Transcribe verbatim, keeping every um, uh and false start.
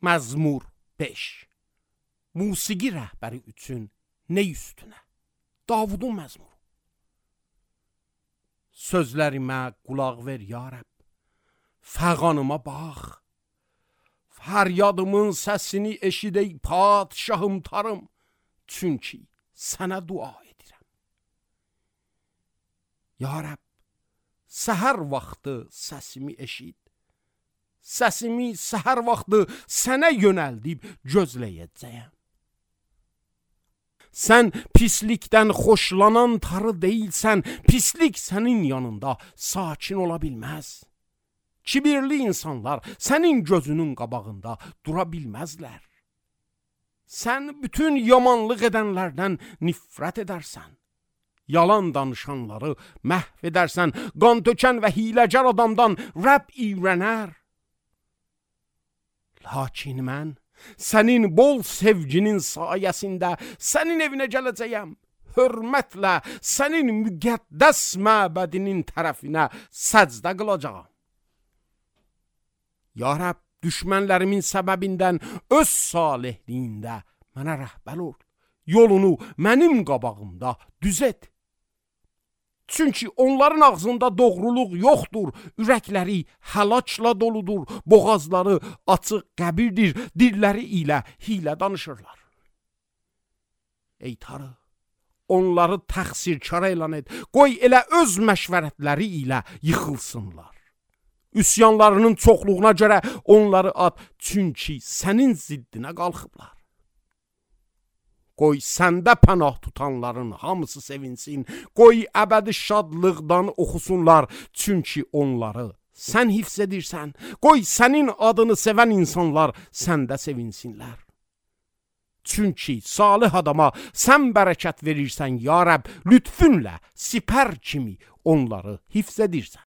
Məzmur beş. Musiqi rəhbəri üçün nə üstünə? Davudun məzmuru. Sözlərimə qulaq ver ya Rəbb, fəğanıma bax. Fəryadımın səsini eşid ey padşahım tarım, çünki sənə dua edirəm. Ya Rəbb, səhər vaxtı səsimi eşid. Səsimi səhər vaxtı sənə yönəldib gözləyəcəyəm. Sən pislikdən xoşlanan tarı deyilsən, pislik sənin yanında sakin ola bilməz. Kibirli insanlar sənin gözünün qabağında dura bilməzlər. Sən bütün yamanlıq edənlərdən nifrət edərsən. Yalan danışanları məhv edərsən, qan tökən və hiləgər adamdan Rəbb iyrənər. Lakin mən sənin bol sevginin sayəsində sənin evinə gələcəyəm. Hörmətlə sənin müqəddəs məbədinin tərəfinə səcdə qılacağam. Ya Rəbb, düşmənlərimin səbəbindən öz salihliyində mənə rəhbər ol. Yolunu mənim qabağımda düz et. Çünki onların ağzında doğruluq yoxdur, ürəkləri həlakla doludur, boğazları açıq qəbirdir, dilləri ilə hilə danışırlar. Ey Tanrı, onları təqsirkar elan et, qoy elə öz məşvərətləri ilə yıxılsınlar. Üsyanlarının çoxluğuna görə onları at, çünki sənin ziddinə qalxıblar. Qoy səndə pənah tutanların hamısı sevinsin, qoy əbədi şadlıqdan oxusunlar, çünki onları sən hifz edirsən, qoy sənin adını sevən insanlar səndə sevinsinlər. Çünki salih adama sən bərəkət verirsən ya Rəbb, lütfünlə sipər kimi onları hifz edirsən.